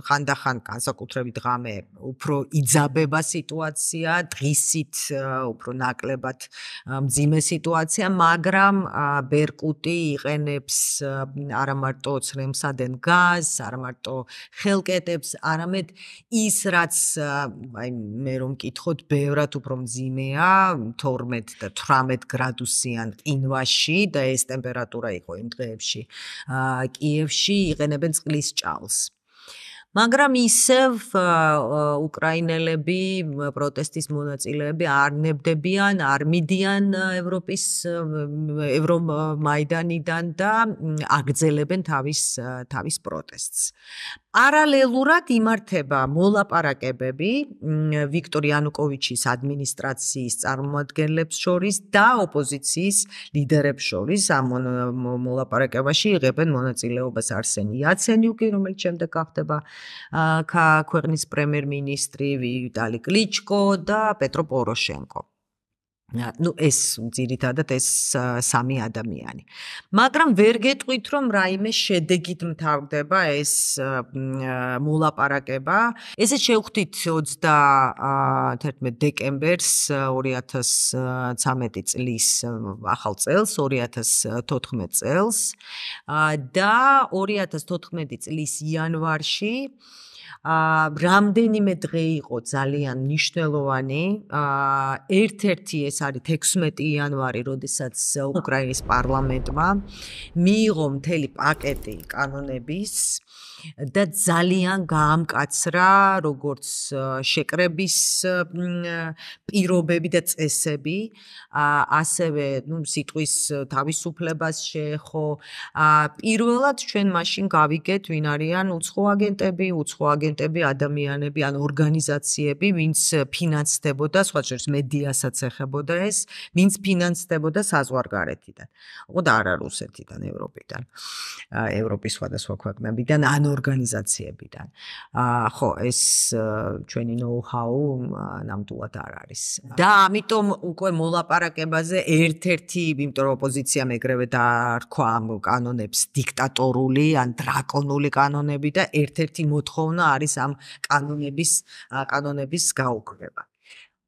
ხანდახან განსაკუთრებით ღამე უფრო იძაბება სიტუაცია, დღისით უფრო ნაკლებად მძიმე სიტუაცია, მაგრამ ბერკუტი იყენებს არა მარტო ცრემსადენ გაზს, არა მარტო ხელკეტებს, არამედ ის რაც აი მე რომ მკითხოთ, ბევრად უფრო მძიმეა, თორმეტ და თვრამეტ გრადუსიან ყინვაში და ეს ტემპერატურა იყო იმ დღეებში. კიევში იყენებენ წყლის ჭალს. მაგრამ ისევ უკრაინელები, პროტესტის მონაწილეები არ ნებდებიან, არ მიდიან ევროპის ევრომაიდანიდან და აგრძელებენ თავის თავის პროტესტს. პარალელურად იმართება მოლაპარაკებები ვიქტორ იანუკოვიჩის ადმინისტრაციის წარმომადგენლებს შორის და ოპოზიციის ლიდერებს შორის. ამ მოლაპარაკებაში იღებენ მონაწილეობას არსენი იაცენიუკი, რომელიც შემდეგ გახდება ქვეყნის პრემიერ-მინისტრი, ვიტალი კლიჩკო და პეტრო პოროშენკო. ну ეს ძირითადად ეს სამი ადამიანი. მაგრამ ვერ გეტყვით რომ რაიმე შედეგით მთავრდება ეს მოლაპარაკება. ესე შევხვდით ოცდაათერთმეტ დეკემბერს ორი ათას ცხრამეტი წლის ახალ წელს, ორი ათას თოთხმეტ წელს და ორი ათას თოთხმეტი წლის იანვარში რამდენიმე დღე იყო ძალიან მნიშვნელოვანი. ერთ-ერთი ეს არის ექვსმეტი იანვარი, როდესაც უკრაინის პარლამენტმა მიიღო მთელი პაკეტი კანონების და ძალიან გაამკაცრა როგორც შეკრების პირობები და წესები, ასევე ну სიტყვის თავისუფლებას შეეხო. პირველად ჩვენ მაშინ გავიგეთ ვინ არიან უცხო აგენტები, უცხო აგენტები ადამიანები ან ორგანიზაციები, ვინც ფინანსდებოდა, სხვა შორის მედიასაც ეხებოდა ეს, ვინც ფინანსდებოდა საზღვარგარეთიდან. ხო და არა რუსეთიდან, ევროპიდან, ევროპის სხვადასხვა ქვეყნებიდან ან ორგანიზაციებიდან. ხო, ეს ჩვენი know-how ნამდვილად არ არის. და ამიტომ უკვე მოლაპარაკებაზე ერთ-ერთი, იმიტომ რომ ოპოზიციამ ეგრევე დაარქვა ამ კანონებს დიქტატორული ან დრაკონული კანონები და ერთ-ერთი მოთხოვნა არის ამ კანონების კანონების გაუქმება.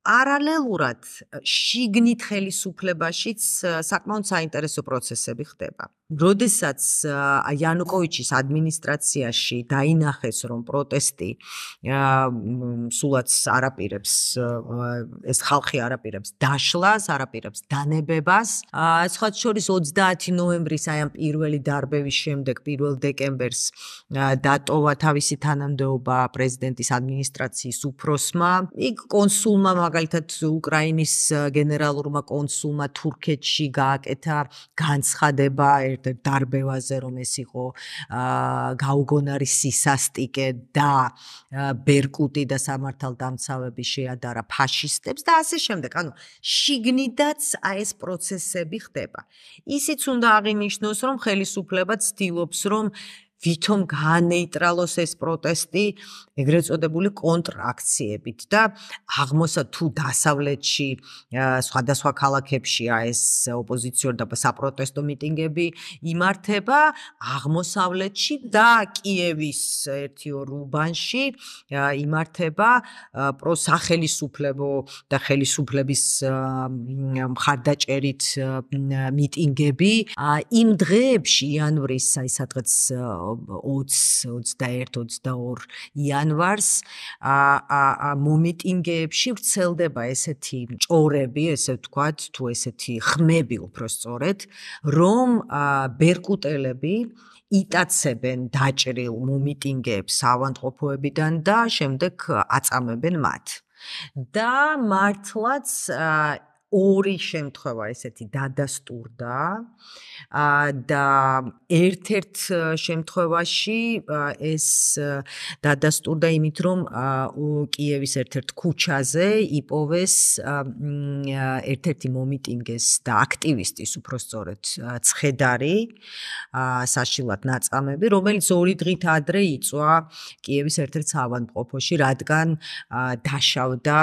პარალელურად შიგნით ხელისუფლებაშიც საკმაოდ საინტერესო პროცესები ხდება. როდესაც იანუკოვიჩის ადმინისტრაციაში დაინახეს, რომ პროტესტი სულაც არაპირებს, ეს ხალხი არაპირებს დაშლას, არაპირებს დანებებას, სხვა შორის ოცდაათი ნოემბრის აი ამ პირველი დარბევის შემდეგ, პირველ დეკემბერს დატოვა თავისი თანამდებობა პრეზიდენტის ადმინისტრაციის უფროსმა, იქ კონსულმა მაგალითად უკრაინის გენერალურმა კონსულმა თურქეთში გააკეთა განცხადება ერთ-ერთ დარბევაზე, რომ ეს იყო გაუგონარი სისასტიკე და ბერკუტი და სამართალდამცავები შეადარა ფაშისტებს და ასე შემდეგ. ანუ შიგნიდაც აი ეს პროცესები ხდება. ისიც უნდა აღინიშნოს, რომ ხელისუფლება ცდილობს, რომ ვითომ გაანეიტრალოს ეს პროტესტი ეგრეთ წოდებული კონტრაქციებით და აღმოსა თუ დასავლეთში სხვადასხვა ქალაქებშია ეს ოპოზიციური და საპროტესტო მიტინგები იმართება, აღმოსავლეთში და კიევის ერთ-ორ უბანში იმართება პროსახელისუფლებო და ხელისუფლების მხარდაჭერით მიტინგები. იმ დღეებში იანვრის აი სადღაც ოცი, ოცდაერთი, ოცდაორი იანვარს მომიტინგეებში ვრცელდება ესეთი ჭორები, ესე ვთქვათ, თუ ესეთი ხმები უпростоრეთ, რომ ბერკუტელები იტაცებენ დაჭრილ მომიტინგეებს ავადმყოფოებიდან და შემდეგ აწამებენ მათ. და მართლაც ორი შემთხვევა ესეთი დადასტურდა და ერთ-ერთ შემთხვევაში ეს დადასტურდა იმით, რომ კიევის ერთ-ერთ ქუჩაზე იპოვეს ერთ-ერთი მომიტინგეს და აქტივისტის უпростоრეთ ცხედარი, საშილად ნაწამები, რომელიც ორი დღით ადრე იწვა კიევის ერთ-ერთ ავადმყოფოში, რადგან დაშავდა,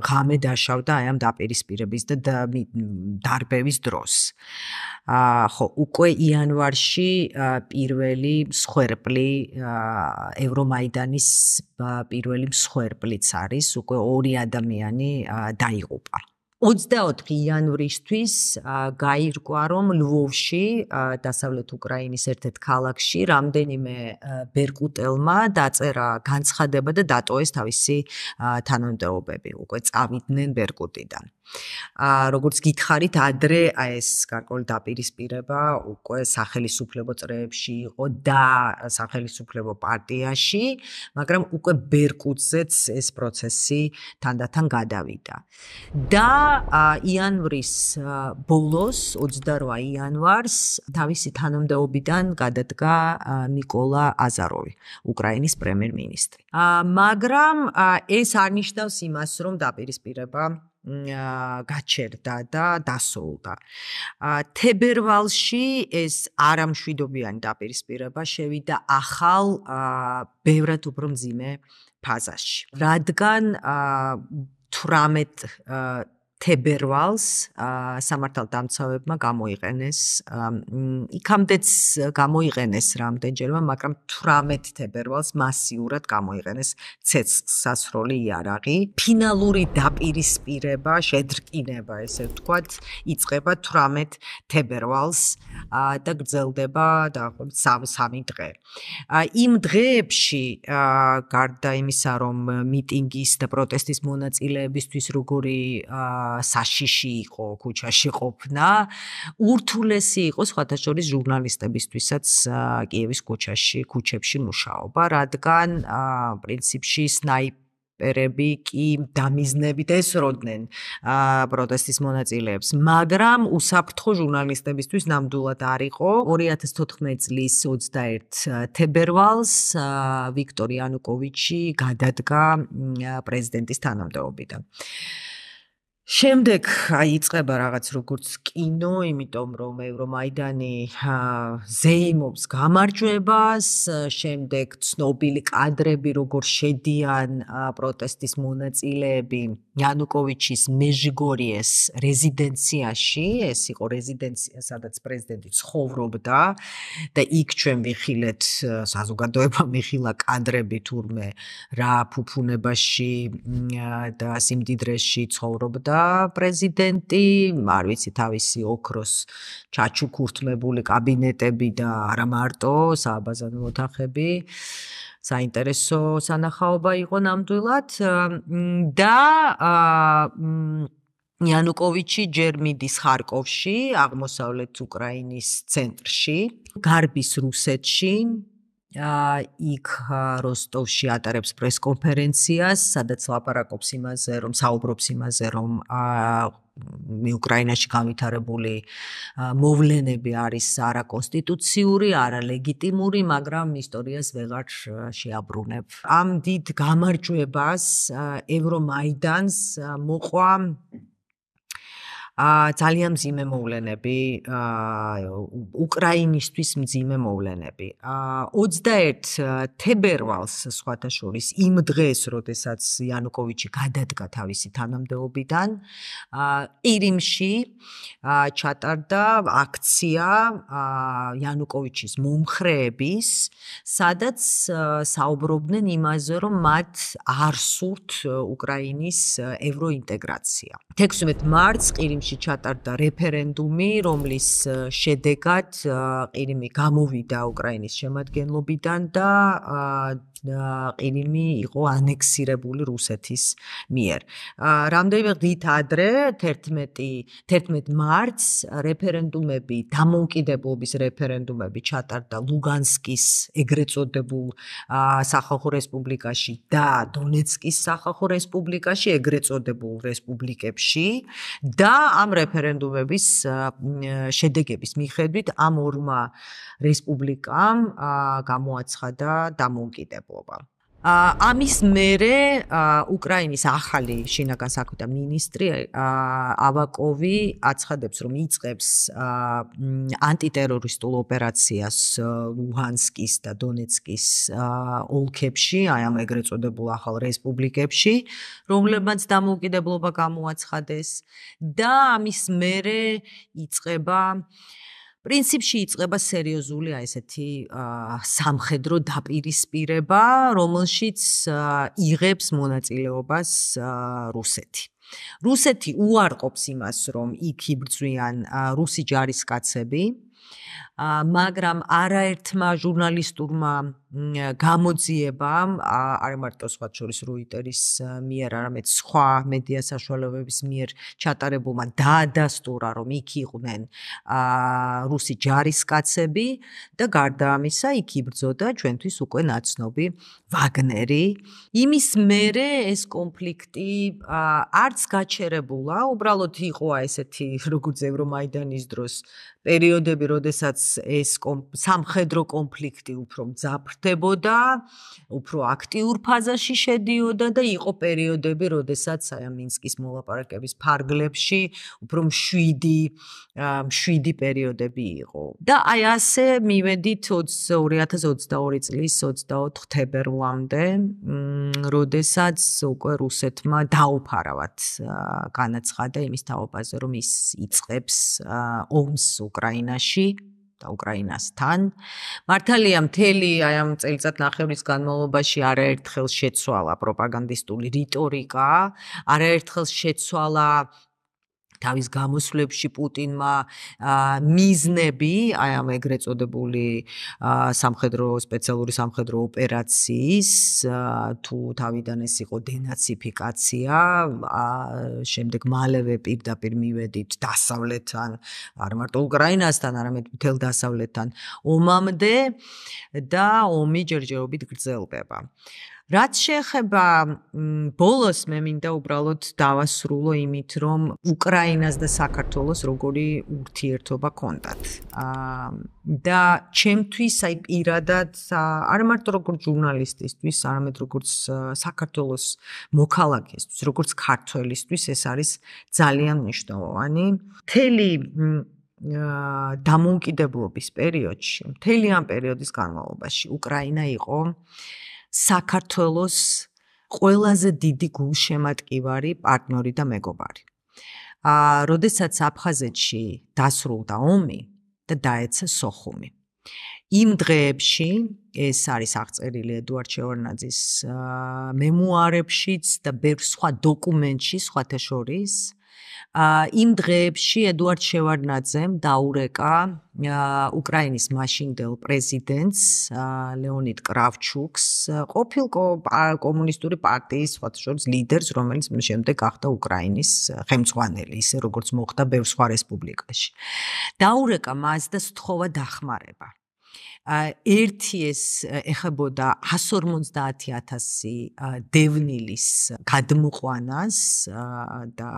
ღამე დაშავდა აი ამ დაპირისპირების და დარბევის დროს. აა ხო, უკვე იანვარში პირველი მსხვერპლი ევრომაიდანის პირველი მსხვერპლიც არის, უკვე ორი ადამიანი დაიღუპა. ოცდაოთხი იანვრისთვის გაირკვა, რომ ლვოვში, დასავლეთ უკრაინის ერთ-ერთ ქალაქში, რამდენიმე ბერკუტელმა დაწერა განცხადება და დატოვეს თავისი თანამდებობები, უკვე წავიდნენ ბერკუტიდან. როგორც გითხარით, ადრე ეს გარკვეული დაპირისპირება უკვე სახელისუფლებო წრეებში იყო და სახელისუფლებო პარტიაში, მაგრამ უკვე ბერკუტზეც ეს პროცესი თანდათან გადავიდა. და იანვრის ბოლოს, ოცდარვა იანვარს, თავისი თანამდებობიდან გადადგა ნიკოლა აზაროვი, უკრაინის პრემიერ-მინისტრი. მაგრამ ეს არ ნიშნავს იმას, რომ დაპირისპირება გაჩერდა და დასრულდა. თებერვალში ეს არამშვიდობიანი დაპირისპირება შევიდა ახალ, ბევრად უფრო მძიმე ფაზაში. რადგან თვრამეტ თებერვალს სამართალდამცავებმა გამოიყენეს, იქამდეც გამოიყენეს რამდენჯერმე, მაგრამ თვრამეტ თებერვალს მასიურად გამოიყენეს ცეცხლსასროლი იარაღი. ფინალური დაპირისპირება, შედრკინება, ესე ვთქვათ, იწყება თვრამეტ თებერვალს და გრძელდება დაახლოებით სამი დღე. იმ დღეებში, გარდა იმისა, რომ მიტინგის და პროტესტის მონაწილეებისთვის როგორი საშიში იყო ქუჩაში ყოფნა, ურთულესი იყო სხვათა შორის ჟურნალისტებისთვისაც კიევის ქუჩაში, ქუჩებში მუშაობა, რადგან პრინციპში სნაიპერები კი დამიზნებით ესროდნენ პროტესტის მონაწილეებს, მაგრამ უსაფრთხო ჟურნალისტებისთვის ნამდვილად არ იყო. ორი ათას თოთხმეტი წლის ოცდაერთი თებერვალს ვიქტორ იანუკოვიჩი გადადგა პრეზიდენტის თანამდებობიდან. შემდეგ იწყება რაღაც როგორც კინო, იმიტომ რომ ევრომაიდანი ზეიმობს გამარჯვებას, შემდეგ ცნობილი კადრები, როგორ შედიან პროტესტის მონაწილეები იანუკოვიჩის მეჟიგორიეს რეზიდენციაში, ეს იყო რეზიდენცია, სადაც პრეზიდენტი ცხოვრობდა და იქ ჩვენ ვიხილეთ, საზოგადოება მიხილა კადრები თურმე რა ფუფუნებაში და სიმდიდრეში ცხოვრობდა პრეზიდენტი, არ ვიცი, თავისი ოქროს ჩაჩუქურთმებული კაბინეტები და არა მარტო სააბაზანო ოთახები. საინტერესო სანახაობა იყო ნამდვილად და იანუკოვიჩი ჯერ მიდის ხარკოვში, აღმოსავლეთ უკრაინის ცენტრში, გარბის რუსეთში, იქ როსტოვში ატარებს პრესკონფერენციას, სადაც ლაპარაკობს იმაზე, რომ საუბრობს იმაზე, რომ უკრაინაში განვითარებული მოვლენები არის არაკონსტიტუციური, არალეგიტიმური, მაგრამ ისტორიას ვეღარ შეაბრუნებ. ამ დიდ გამარჯვებას ევრომაიდანს მოყვა ძალიან მძიმე მოვლენები, უკრაინისთვის მძიმე მოვლენები. ოცდაერთი თებერვალს, სხვათა შორის, იმ დღეს, როდესაც იანუკოვიჩი გადადგა თავისი თანამდებობიდან, ყირიმში ჩატარდა აქცია იანუკოვიჩის მომხრეების, სადაც საუბრობდნენ იმაზე, რომ მათ არ სურთ უკრაინის ევროინტეგრაცია. თექვსმეტი მარტს ყირიმში ჩატარდა რეფერენდუმი, რომლის შედეგად ყირიმი გამოვიდა უკრაინის შემადგენლობიდან და ყირიმი იყო ანექსირებული რუსეთის მიერ. რამდენიმე დღით ადრე, თერთმეტი მარტს, რეფერენდუმები, დამოუკიდებლობის რეფერენდუმები ჩატარდა ლუგანსკის ეგრეთ წოდებულ სახალხო რესპუბლიკაში და დონეცკის სახალხო რესპუბლიკაში, ეგრეთ წოდებულ რესპუბლიკებში და ამ რეფერენდუმების შედეგების მიხედვით ამ ორმა რესპუბლიკამ გამოაცხადა დამოუკიდებლობა. ამის მერე უკრაინის ახალი შინაგან საქმეთა მინისტრი ავაკოვი აცხადებს, რომ იწყებს ანტიტერორისტულ ოპერაციას ლუჰანსკის და დონეცკის ოლქებში, აი ამ ეგრეთ წოდებულ ახალ რესპუბლიკებში, რომლებმაც დამოუკიდებლობა გამოაცხადეს და ამის მერე იწყება პრინციპში იწყება სერიოზული აი ესეთი სამხედრო დაპირისპირება, რომელშიც იღებს მონაწილეობას რუსეთი. რუსეთი უარყოფს იმას, რომ იქ იბრძვიან რუსი ჯარისკაცები, მაგრამ არაერთმა ჟურნალისტურმა გამოძიებამ, არ მარტო სხვა შორის როიტერის მიერ, არამედ სხვა მედია საშუალებების მიერ ჩატარებულმა დაადასტურა, რომ იქ იყვნენ რუსი ჯარისკაცები და გარდა ამისა იქ იბრძოდა ჩვენთვის უკვე ნაცნობი ვაგნერი. იმის მერე ეს კონფლიქტი არც გაჩერებულა, უბრალოდ იყო ესეთი როგორც ევრომაიდანის დროს პერიოდები, როდესაც ეს სამხედრო კონფლიქტი უფრო მძაფრდებოდა, უფრო აქტიურ ფაზაში შედიოდა და იყო პერიოდები, როდესაც აი მინსკის მოლაპარაკების ფარგლებში უფრო მშვიდი მშვიდი პერიოდები იყო. და აი ასე მივედით ორი ათას ოცდაორი წლის ოცდაოთხ თებერვლამდე, როდესაც უკვე რუსეთმა დაუფარავად განაცხადა იმის თაობაზე, რომ ის იწყებს ომს უკრაინაში და უკრაინასთან. მართალია მთელი აი ამ წელიწადნახევრის განმავლობაში არაერთხელ შეცვალა პროპაგანდისტული რიტორიკა, არაერთხელ შეცვალა თავის გამოსვლებში პუტინმა მიზნები, აი ამ ეგრეთ წოდებული სამხედრო სპეციალური სამხედრო ოპერაციის, თუ თავიდან ეს იყო დენაციფიკაცია, შემდეგ მალევე პირდაპირ მივედით დასავლეთთან, არ მარტო უკრაინასთან, არამედ მთელ დასავლეთთან ომამდე და ომი ჯერჯერობით გრძელდება. რაც შეეხება ბოლოს მე მინდა უბრალოდ დავასრულო იმით, რომ უკრაინას და საქართველოს როგორი ურთიერთობა ჰქონდათ. და ჩემთვის აი პირადად არ მარტო როგორც ჟურნალისტისთვის, არამედ როგორც საქართველოს მოქალაქისთვის, როგორც ქართველისთვის ეს არის ძალიან მნიშვნელოვანი. მთელი დამოუკიდებლობის პერიოდში, მთელი ამ პერიოდის განმავლობაში უკრაინა იყო საქართველოს ყველაზე დიდი გულშემატკივარი პარტნიორი და მეგობარი. როდესაც აფხაზეთში დასრულდა ომი და დაეცა სოხუმი. იმ დღეებში ეს არის აღწერილი ედუარდ შევარდნაძის მემუარებშიც და ბევრ სხვა დოკუმენტში, სხვათა შორის, იმ დღეებში ედუარდ შევარდნაძემ დაურეკა უკრაინის მაშინდელ პრეზიდენტს ლეონიდ კრავჩუკს, ყოფილ კომუნისტური პარტიის სხვათა შორის ლიდერს, რომელიც შემდეგ გახდა უკრაინის ხელმძღვანელი, ისე როგორც მოხდა ბევრ სხვა რესპუბლიკაში. დაურეკა მას და სთხოვა დახმარება. ერთი ეს ეხებოდა εκατს ორმოცდაათი ათასი დევნილის გადმოყვანას და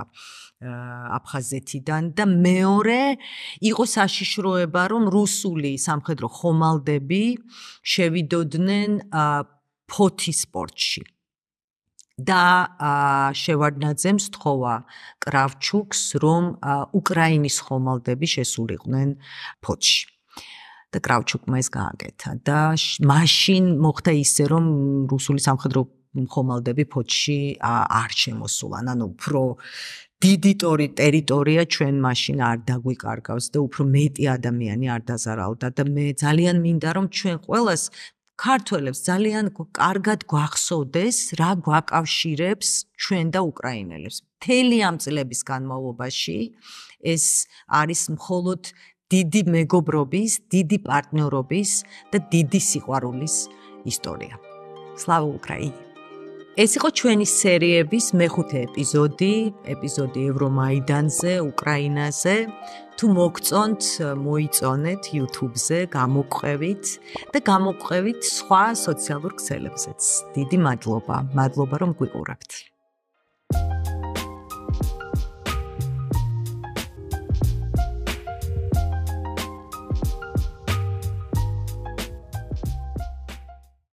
აფხაზეთიდან და მეორე იყო საშიშროება, რომ რუსული სამხედრო ხომალდები შევიდოდნენ ფოთის პორტში. და შევარდნაძემ სთხოვა კრავჩუკს, რომ უკრაინის ხომალდები შესულიყვნენ ფოთში. და კრავჩუკმა ეს გააკეთა და მაშინ მოხდა ისე, რომ რუსული სამხედრო ხომალდები ფოთში არ შემოსულან, ანუ უფრო დიდი ტერიტორია ჩვენ მაშინ არ დაგვიკარგავს და უფრო მეტი ადამიანი არ დაზარალდა და მე ძალიან მინდა, რომ ჩვენ ყველას ქართველებს ძალიან კარგად გვახსოვდეს, რა გვაკავშირებს ჩვენ და უკრაინელებს. მთელი ამ წლების განმავლობაში ეს არის მხოლოდ დიდი მეგობრობის, დიდი პარტნიორობის და დიდი სიყვარულის ისტორია. სლავა უკრაინი! ეს იყო ჩვენი სერიების მეხუთე ეპიზოდი, ეპიზოდი ევრომაიდანზე, უკრაინაზე. თუ მოგწონთ, მოიწონეთ YouTube-ზე, გამოგყვევით და გამოგყვევით სხვა სოციალურ ქსელებზეც. დიდი მადლობა, მადლობა რომ გვიყურებთ.